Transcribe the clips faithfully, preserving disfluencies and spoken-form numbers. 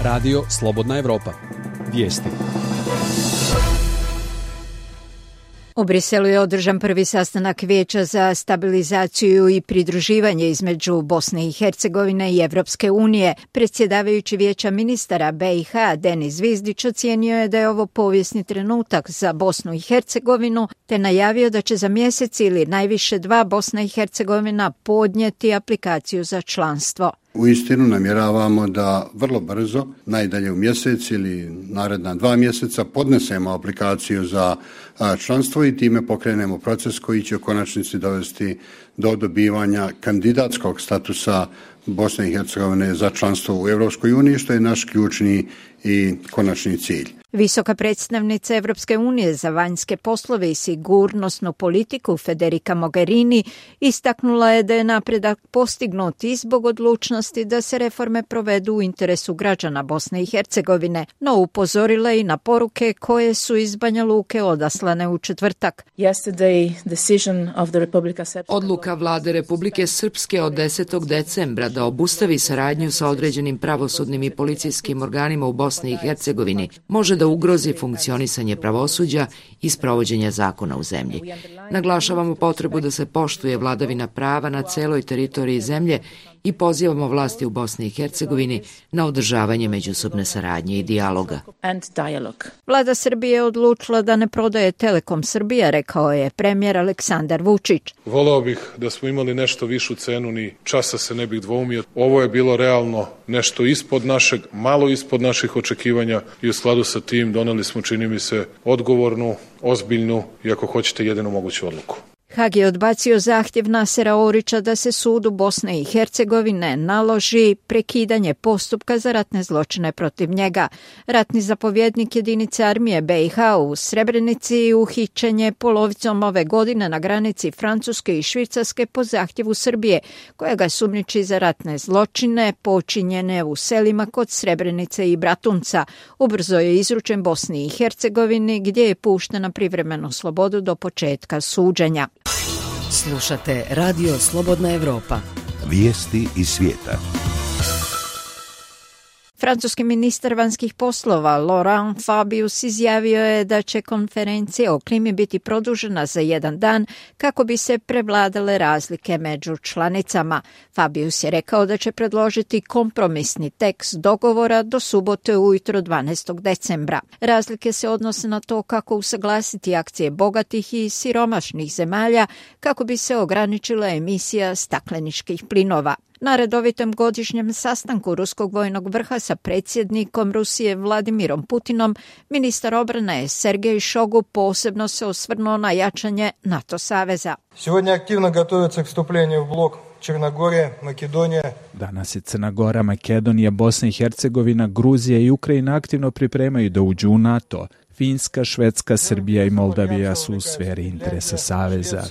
Radio Slobodna Evropa. Vijesti. U Briselu je održan prvi sastanak Vijeća za stabilizaciju i pridruživanje između Bosne i Hercegovine i Evropske unije. Predsjedavajući Vijeća ministara B i H Denis Zvizdić ocijenio je da je ovo povijesni trenutak za Bosnu i Hercegovinu, te najavio da će za mjesec ili najviše dva Bosna i Hercegovina podnijeti aplikaciju za članstvo. Uistinu namjeravamo da vrlo brzo, najdalje u mjesec ili naredna dva mjeseca, podnesemo aplikaciju za članstvo i time pokrenemo proces koji će u konačnici dovesti do dobivanja kandidatskog statusa Bosne i Hercegovine za članstvo u Europskoj uniji, što je naš ključni i konačni cilj. Visoka predstavnica Evropske unije za vanjske poslove i sigurnosnu politiku Federica Mogherini istaknula je da je napredak postignut i zbog odlučnosti da se reforme provedu u interesu građana Bosne i Hercegovine, no upozorila i na poruke koje su iz Banja Luke odaslane u četvrtak. Odluka vlade Republike Srpske od desetog decembra da obustavi saradnju sa određenim pravosudnim i policijskim organima u Bosni i Hercegovini može da ugrozi funkcionisanje pravosuđa i sprovođenja zakona u zemlji. Naglašavamo potrebu da se poštuje vladavina prava na celoj teritoriji zemlje i pozivamo vlasti u Bosni i Hercegovini na održavanje međusobne saradnje i dijaloga. Vlada Srbije je odlučila da ne prodaje Telekom Srbija, rekao je premijer Aleksandar Vučić. Voleo bih da smo imali nešto višu cenu, ni časa se ne bih dvoumio. Ovo je bilo realno nešto ispod našeg, malo ispod naših očekivanja i u skladu sa tim doneli smo, čini mi se, odgovornu, ozbiljnu i ako hoćete jedinu moguću odluku. Hag je odbacio zahtjev Nasera Orića da se sudu Bosne i Hercegovine naloži prekidanje postupka za ratne zločine protiv njega. Ratni zapovjednik jedinice armije B i H u Srebrenici uhićen je polovicom ove godine na granici Francuske i Švicarske po zahtjevu Srbije, koja ga sumnjiči za ratne zločine počinjene u selima kod Srebrenice i Bratunca. Ubrzo je izručen Bosni i Hercegovini, gdje je pušten na privremenu slobodu do početka suđenja. Slušate Radio Slobodna Evropa. Vijesti iz svijeta. Francuski ministar vanjskih poslova Laurent Fabius izjavio je da će konferencija o klimi biti produžena za jedan dan kako bi se prevladale razlike među članicama. Fabius je rekao da će predložiti kompromisni tekst dogovora do subote ujutro dvanaestog decembra. Razlike se odnose na to kako usaglasiti akcije bogatih i siromašnih zemalja kako bi se ograničila emisija stakleničkih plinova. Na redovitom godišnjem sastanku ruskog vojnog vrha sa predsjednikom Rusije Vladimirom Putinom, ministar obrane Sergej Šogu posebno se osvrnuo na jačanje NATO saveza. Сегодня активно готовится к вступлению в блок Черногория, Makedonija. Danas je Crna Gora, Makedonija, Bosna i Hercegovina, Gruzija i Ukrajina aktivno pripremaju da uđu u NATO. Finska, Švedska, Srbija i Moldavija su u sferi interesa saveza.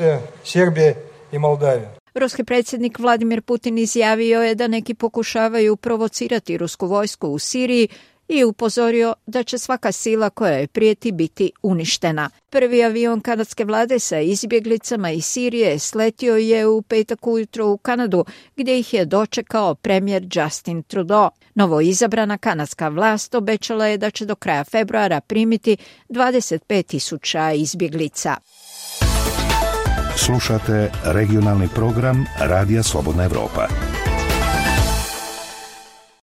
Srbija i Moldavija. Ruski predsjednik Vladimir Putin izjavio je da neki pokušavaju provocirati rusku vojsku u Siriji i upozorio da će svaka sila koja je prijeti biti uništena. Prvi avion kanadske vlade sa izbjeglicama iz Sirije sletio je u petak ujutro u Kanadu, gdje ih je dočekao premijer Justin Trudeau. Novo izabrana kanadska vlast obećala je da će do kraja februara primiti dvadeset pet tisuća izbjeglica. Slušate regionalni program Radija Slobodna Evropa.